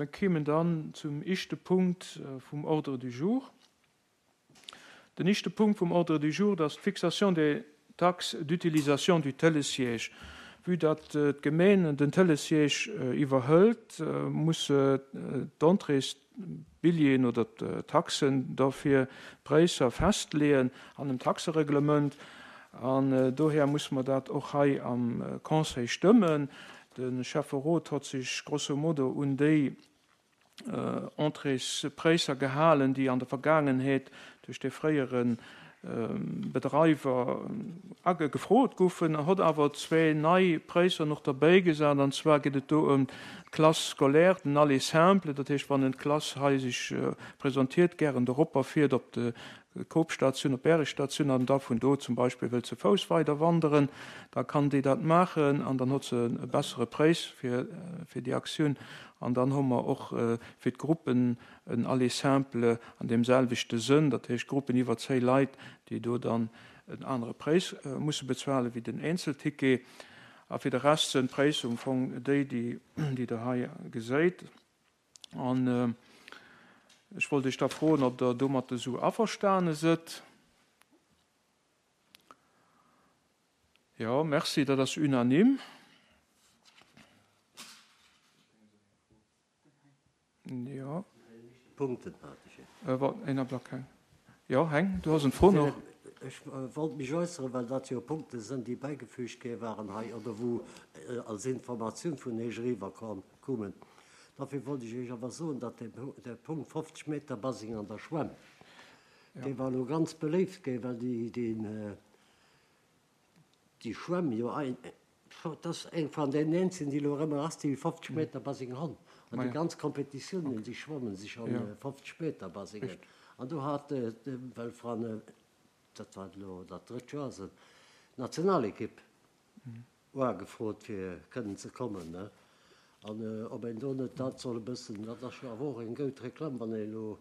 Mir kéimen dann zum ischte Punkt vum Ordre du jour. Den ischte Punkt vum Ordre du jour, dat ass d'Fixation des taxes d'utilisation du Télésiège. Vue datt d'Gemeen den Télésiège iwwerhëlt, musse d'Entréesbilljeeën oder d'Taxen dofir, d'Préisser festleeën an dem Taxereglement. An dohier musse mer dat och hei am Conseil stëmmen. De Schäfferot hott sech grosso modo un déi Entréespréisser gehalen, déi an der Vergaangenheet duerch dee fréiere Bedreiwer gefrot goufen, hott awer zwee nei Préisser nach derbäigesat. An zwar geet et do ëm d'Classe scolaire, den Aller simple, dat heescht, wann en d'Klass hei sech presentiert, gären doropper fiert op de Coop-Statioun op Bärestatioun an da vun do zum Beispill wëllt ze Fouss weider wanderen, da kann déi dat maachen an dann huet se e bessere Préis fir fir déi Aktioun. An dann hu mer och fir d'Gruppen en Aller simple an deem selwechte Sënn, dat heescht Gruppen iwwer 10 Leit, déi do dann en anere Préis musse bezuelen wéi den Eenzelticket. A fir de Rest sënn d'Préisser um Fong déi, déi Der hei geséit. An ech wollt Iech da froen, ob Der domat esou averstane sëtt. Jo, merci, dat ass unanime. Jo. Punkten hat ech. Een Ablack, Heng. Jo, Heng, du has en Fro nach. Ech wollt mech äusseren, well dat jo Punkte sënn, déi bäigefüügt gi waren hei oder wou als Informatioun vun Iech eriwwer koumen. Dofir wollt ech Iech awer soen, datt dee Punkt 50 Meter Baseng an der Schwämm, dee war elo ganz beléift ginn, well déi Schwämm jo Dat ass eng van den eenzegen, déi elo erëmmer ass, déi 50 Meter Baseng hunn. An déi ganz Kompetitiounen, déi schwammen sech an 50 Meter Basengen. An do hat, well van, dat war elo dat drëtt Joer ass et, d'Nationalekipp uagefrot fir kënnen ze kommen. An ob een do net dat soll e bëssen, dat ass jo awer och eng goud Reklamm, wann een elo,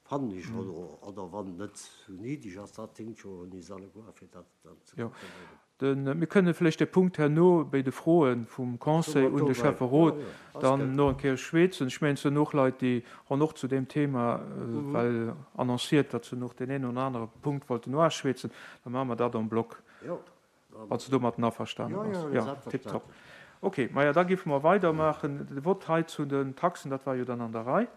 fannen ech, oder wann et net sou niddeg ass, dat hinkt jo un is alleguer, fir dat dann ze kontrolléieren. Mir kënne vläicht de Punkt herno béi de Froe vum Conseil un de Schäfferot dann no eng Kéier schwätzen. Ech mengen, et sinn och Leit, déi honn och zu deem Thema well annonciert, datt se nach deen een oder anere Punkt wollten noaschwätzen. Da maache mer dat en bloc, wann s de domatten averstane bass. Jo, tiptop. Okay, maja, da géife mer weidermaachen. De Vott hei zu den Taxen, dat war jo dann an der Rei.